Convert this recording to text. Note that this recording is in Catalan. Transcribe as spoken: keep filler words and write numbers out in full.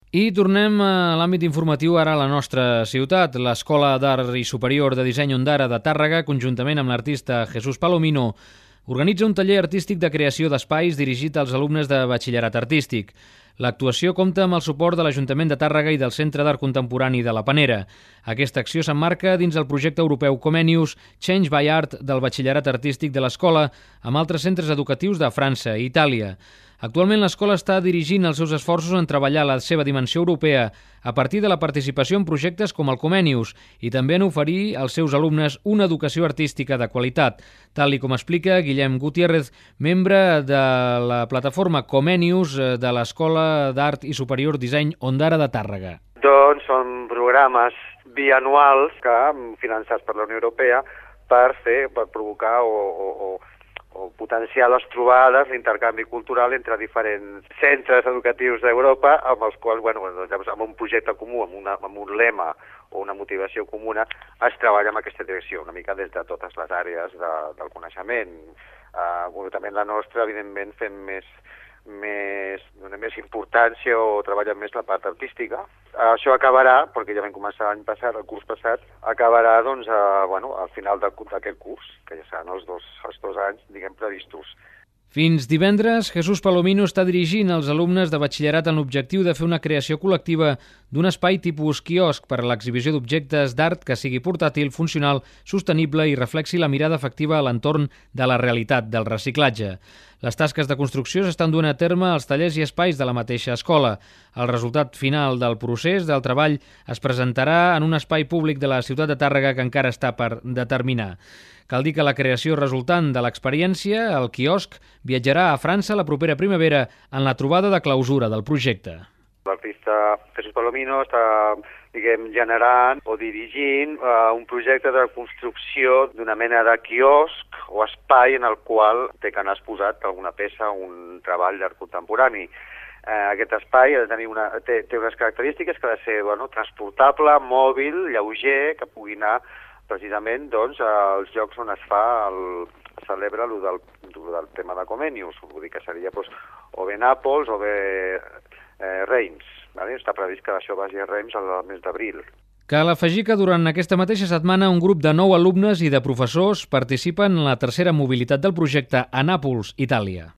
I tornem a l'àmbit informatiu ara a la nostra ciutat. L'Escola d'Art i Superior de Disseny Ondara de Tàrrega, conjuntament amb l'artista Jesús Palomino, organitza un taller artístic de creació d'espais dirigit als alumnes de batxillerat artístic. L'actuació compta amb el suport de l'Ajuntament de Tàrrega i del Centre d'Art Contemporani de la Panera. Aquesta acció s'emmarca dins el projecte europeu Comenius Change by Art del batxillerat artístic de l'escola amb altres centres educatius de França i Itàlia. Actualment l'escola està dirigint els seus esforços en treballar la seva dimensió europea a partir de la participació en projectes com el Comenius i també en oferir als seus alumnes una educació artística de qualitat, tal i com explica Guillem Gutiérrez, membre de la plataforma Comenius de l'Escola d'Art i Superior Disseny Ondara de Tàrrega. Doncs són programes bianuals que finançats per la Unió Europea per fer, per provocar o, o, o o potenciar les trobades, l'intercanvi cultural entre diferents centres educatius d'Europa amb els quals, bueno, doncs, amb un projecte comú, amb, una, amb un lema o una motivació comuna, es treballa en aquesta direcció, una mica des de totes les àrees de, del coneixement. Uh, concretament la nostra, evidentment, fem més, més, donem més importància o treballem més la part artística. Uh, això acabarà, perquè ja vam començar l'any passat, el curs passat, acabarà doncs, uh, bueno, al final d'aquest curs, que ja seran els dos, els dos anys, diguem, previstos. Fins divendres, Jesús Palomino està dirigint els alumnes de batxillerat en l'objectiu de fer una creació col·lectiva d'un espai tipus quiosc per a l'exhibició d'objectes d'art que sigui portàtil, funcional, sostenible i reflexi la mirada efectiva a l'entorn de la realitat del reciclatge. Les tasques de construcció s'estan duent a terme als tallers i espais de la mateixa escola. El resultat final del procés del treball es presentarà en un espai públic de la ciutat de Tàrrega que encara està per determinar. Cal dir que la creació resultant de l'experiència, el quiosc, viatjarà a França la propera primavera en la trobada de clausura del projecte. L'artista Jesús Palomino està, diguem, generant o dirigint uh, un projecte de construcció d'una mena de quiosc o espai en el qual té que anar exposat alguna peça, un treball d'art contemporani. Uh, aquest espai ha de tenir una, té, té unes característiques que ha de ser, bueno, transportable, mòbil, lleuger, que pugui anar precisament doncs, als llocs on es fa el, es celebra el del, del tema de Comenius, vull dir que seria doncs, o bé Nàpols o bé eh, Reims. Vale? Està previst que això vagi a Reims al mes d'abril. Cal afegir que durant aquesta mateixa setmana un grup de nou alumnes i de professors participen en la tercera mobilitat del projecte a Nàpols, Itàlia.